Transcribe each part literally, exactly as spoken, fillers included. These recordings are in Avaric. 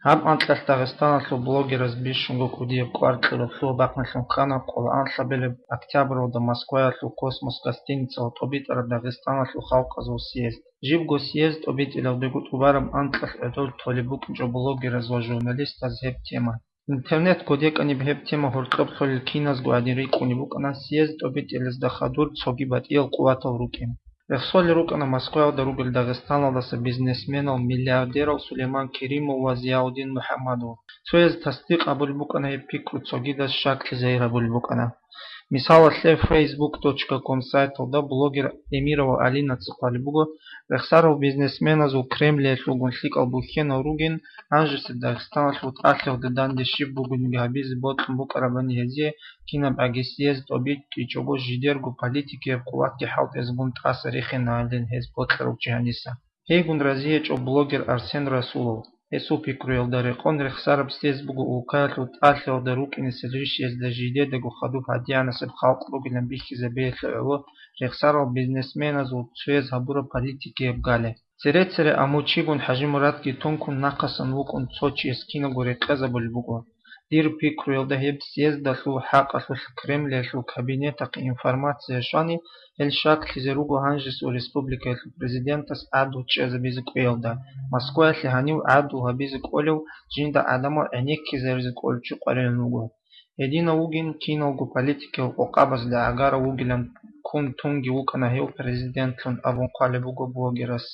Гьаб анкьалъ Дагъистаналъул блогераз бищунго кӀудияб кӀвар кьураб лъугьа-бахъиналъун ккана къоло анлъабилеб октябралда Москваялъул «Космос» гостиницаялда тӀобитӀараб Дагъистаналъул халкъазул съезд. Жибго съезд тӀобитӀилалдего тӀубараб анкьалъ гӀодов толеб букӀинчӀо блогераз ва журналистаз гьеб тема. Интернет кодекӀаниб гьеб тема гьоркьоб лъолел киназго гӀадин рикӀкӀунеб букӀана съезд тӀобитӀилазда хадур цоги батӀиял къуватал рукӀин. Рехсолел рукӀана Москваялда ругел Дагъистаналдаса бизнесменал, миллиардерал Сулейман Керимов ва Зияудин МухӀаммадов. Цояз тасдикъ гьабулеб букӀана гьеб пикру, цогидаз щаклъи загьир гьабулеб букӀана. Мисалалъе, фейсбук точка ком сайталда блогер Эмирова Алинаца хъвалеб буго, рехсарал бизнесменазул Кремлиялъулгун лъикӀал бухьенал ругин, гьанжеса Дагъистаналъул тӀалъиялда данде щиб бугониги гьабизе бокьун букӀарабани гьезие кинабгӀаги съезд тӀобитӀичӀого жидерго политикияб къуватги хӀалтӀизабун тӀаса рихиналдин гьез бокьарав чи гьаниса. Гьейгун разиячӀо блогер Арсен Расулов. Гьесул пикруялда рекъон, рехсараб съезд буго улкаялъул тӀалъиялда рукӀинесел рищиязда жидедаго хадуб гьадигӀанасеб халкъ ругилан бихьизабиялъе гӀоло рехсарал бизнесменазул цояз гьабураб политикияб гали. Цере-цере амучигун ХӀажимурадги тункун нахъасан вукӀун цо чияс киналго рекъезабулеб буго. Дир пикруялда гьеб съездалъул хӀакъалъулъ Кремлиялъул кабинетахъе информация щвани, гьел щаклъизе руго гьанжесул республикаялъул президентас гӀадлу чӀезабизе кӀвеялда, Москваялъе гьанив гӀадлу гьабизе кӀолев, жинда гӀадамал гӀенеккизаризе кӀолев чи къваригӀун вуго. Гьединав вугин киналго политикиял къокъабазда гӀагарав вугилан, ккун тунги вукӀана гьев президентлъун абун хъвалеб буго блогерас.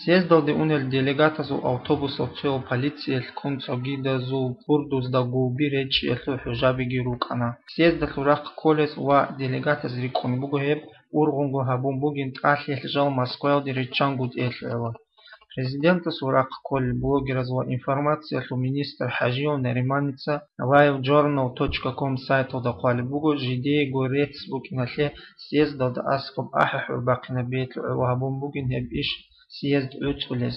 Съездалде унел делегатазул автобусал цоял полициялъ ккун цогидазул гурдузда гулби речӀчӀиялъул хӀужабиги рукӀана. Съездалъул рахъ кколез ва делегатаз рикӀкӀун буго гьеб, ургъунго гьабун бугин тӀалъиялъ жал Москваялде риччан гутӀиялъе гӀоло. Президентасул рахъ кколел блогераз ва информациялъул министр ХӀажиев Нариманица Live Journal точка ком сайталда хъвалеб буго, жидеего рецц букӀиналъе съездалда аскӀоб ахӀи-хӀур бахъинабиялъе гӀоло гьабун бугин гьеб иш съезд гӀуцӀулез.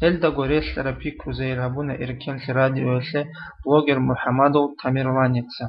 Гьелдаго релълъараб пикру загьир гьабуна Эркенлъи радиоялъе блогер МухӀамадов Тамерланица.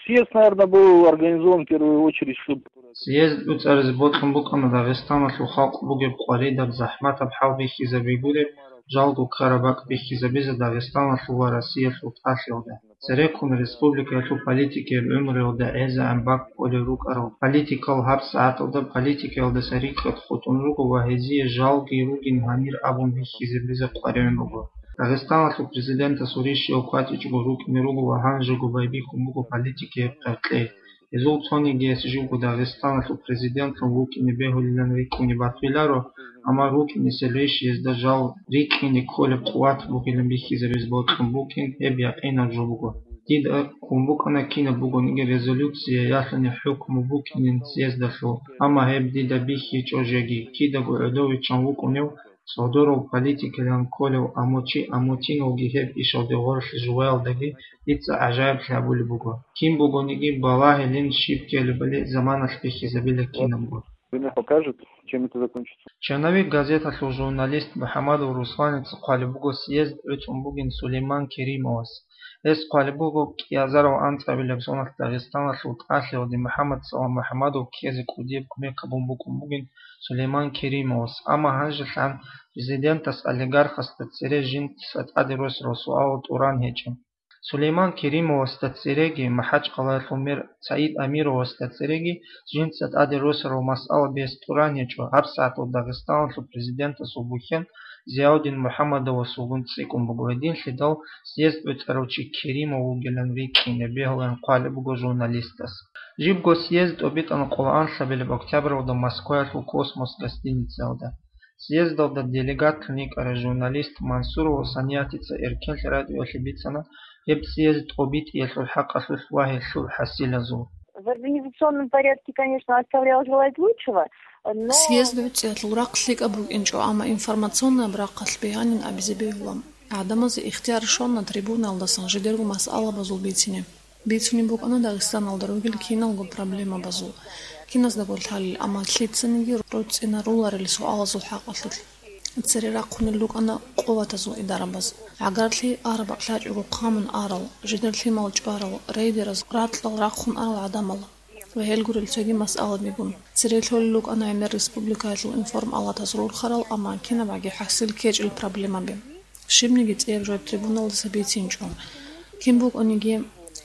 Съезд, наверное, был организован в первую очередь, чтобы... Съезд гӀуцӀаризе бокьун букӀана Дагъистаналъул халкъ бугеб къваридаб, захӀматаб хӀал бихьизабигуреб, жалго ккараб бакӀ бихьизабизе Дагъистаналъул ва Россиялъул тӀалъиялда. Цереккун республикаялъул политикияб гӀумруялда гӀезегӀан бакӀ кколел рукӀарал политикал гьабсагӀаталда политикаялдаса рикӀкӀад хутӀун руго ва гьезие жалги ругин гьанир абун бихьизабизе къваригӀун буго. Дагъистаналъул президентасул рищиялъ кватӀичӀого рукӀине руго ва гьанжего байбихьун буго политикияб къеркьей. Гьезул цонигияс живго Дагъистаналъул президентлъун вукӀине бегьулилан рикӀкӀуне батуларо, амма рукӀинесел рещтӀезда жал рикӀкӀине кколеб къуват бугилан бихьизабизе бокьун букӀин гьеб якъинаб жо буго. Дида ккун букӀана кинаб бугониги резолюция, яхъани хӀукму букӀинин съездалъул, амма гьеб дида бихьичӀо жеги, кидаго гӀодовичӀан вукӀунев, цӀодорал политикилан кколев амучи-, амутиналги гьеб ишалде гъорлъ жуваялдаги дица гӀажаиблъи гьабулеб буго. Кин бугониги балагьилин, щиб ккелебали заманалъ бихьизабила кинабго. Время покажет, чем это закончится. Чанавик газеталъул журналист МухӀамадов Русланица хъвалеб буго съезд гӀуцӀун бугин Сулейман Керимовас. Гьес хъвалеб буго, кӀиазарав анцӀабилеб соналъ Дагъистаналъул тӀалъиялде МухӀаммад Салам МухӀаммадов ккезе кӀудияб кумек гьабун букӀун бугин Сулейман Керимовас, амма гьанжелъан президентас олигархасда цере жинца тӀаде росарал суалал тӀуран гьечӀо. Сулейман Керимовасда цереги МахӀачкъалаялъул мэр СагӀид Амировасда цереги жинца тӀаде росарал масъала бес тӀуран гьечӀо, гьабсагӀатал Дагъистаналъул президентасул бухьен Зияудин МухӀаммадовасулгун цӀикӀкӀун буго, гьединлъидал съезд гӀуцӀарав чи Керимов вугилан рикӀкӀине бегьуларин хъвалеб буго журналистас. Жибго съезд тӀобитӀана къоло анлъабилеб октябралда Москваялъул «Космос» гостиницаялда. Съездалда делегатлъун йикӀарай журналист Мансурова Саниятица Эркенлъи радиоялъе бицана гьеб съезд тӀобитӀиялъул хӀакъалъулъ ва гьелъул хӀасилазул. В организационном порядке, конечно, оставлял желать лучшего, но... Съезд гӀуцӀиялъул рахъ лъикӀаб букӀинчӀо, амма информационный рахъалъ бигьанин абизе бегьула. ГӀадамазе ихтияр щвана трибунаялдасан жидерго масъалабазул бицине. Бицунеб букӀана Дагъистаналда ругел киналго проблемабазул, киназдаго лъалел, амма лъицаниги руцӀцӀинаруларел суалазул хӀакъалъулъ. Цере рахъунел рукӀана къуватазул идарабаз. ГӀагарлъи араб лъачӀого хъамун арал, жидер лъимал чӀварал, рейдераз ракьал рахъун арал гӀадамал ва гьел гурел цоги масъалабигун. Цере лъолел рукӀана гӀемер республикаялъул информалатаз рурхарал, амма кинабгӀаги хӀасил ккечӀел проблемаби. Щибниги цӀияб жо трибуналдаса бицинчӀо. Кин букӀаниги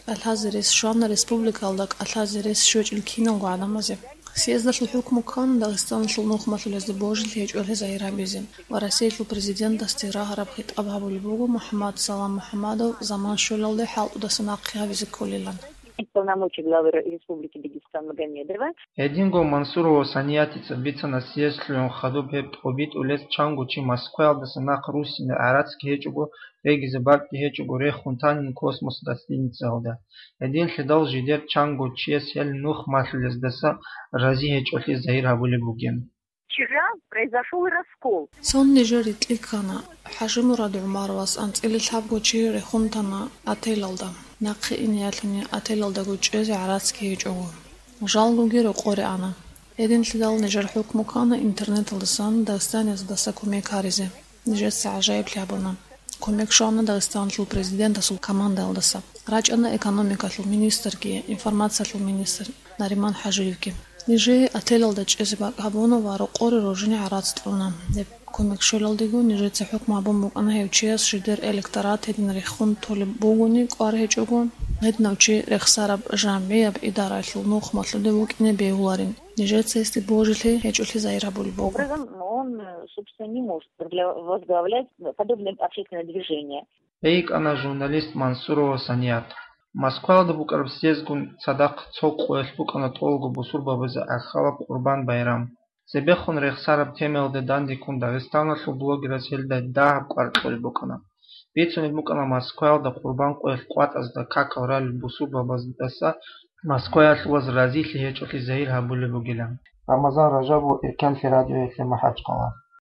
кӀалъазе рес щвана республикалда кӀалъазе рес щвечӀел киналго гӀадамазе. Съездалъул хӀукму ккана Дагъистаналъул нухмалъулезда божилъи гьечӀолъи загьир гьабизе ва Россиялъул президентасде рагьараб хитӀаб гьабулеб буго МухӀаммад Салам МухӀаммадов заман щвелалде хӀалтӀудаса нахъе гьавизе кколилан. Полномочий главы Ре-, Республики Дагестан Магомедова. Гьединго Мансурова Саниятица бицана съездлъун хадуб гьеб тӀобитӀулез чанго чи Москваялдаса нахъ руссине гӀарацги гьечӀого, регизе бакӀги гьечӀого рехун танин космос гостиницаялда. Гьединлъидал жидер чанго чияс гьел нухмалъулездаса рази гьечӀолъи загьир гьабулеб бугин. Вчера произошёл раскол. Цо нижер рикӀкӀана. ХӀажимурад ГӀумаровас анцӀила лъабго чи рехун тана отелалда. Нахъе ине ялъуни отелалдаго чӀезе гӀарацги гьечӀого. Жалгоги рокъоре ана. Гьединлъидал нижер хӀукму ккана интернеталдасан дагъистанияздаса кумек гьаризе. Нижеца гӀажаиблъи гьабуна. Кумек щвана Дагъистаналъул президентасул командаялдаса. РачӀана экономикалъул министрги, информациялъул министр Нариман ХӀажиевги. Нижее отелалда чӀезе бакӀ гьабуна ва рокъоре рожине гӀарац кьуна. Гьеб кумек щвелалдего нижеца хӀукму гьабун букӀана гьев чияс жидер электорат гьедин рехун толеб бугони кӀвар гьечӀого, гьединав чи рехсараб жамгӀияб идараялъул нухмалъулев вукӀине бегьуларин. Нижеца гьесде божилъи гьечӀолъи загьир гьабулеб буго. Образом, он, э, собственно, не может возглавлять подобное общественное движение. ГӀикӀана журналист Мансурова Саният. Москваялда букӀараб съездгун цадахъ цо къоялъ букӀана тӀолго бусурбабазе гӀахьалаб Къурбан байрам. Цебехун рехсараб темаялда дандеккун Дагъистаналъул блогераз гьелда дагьаб кӀвар кьолеб букӀана. Бицунеб букӀана Москваялда Къурбан къоялъ къватӀазда какал ралел бусурбабаздаса москваялъулаз разилъи гьечӀолъи загьир гьабулеб бугилан. Рамазан Ражабов, Ирканлъи радиоялъе МахӀачхъала.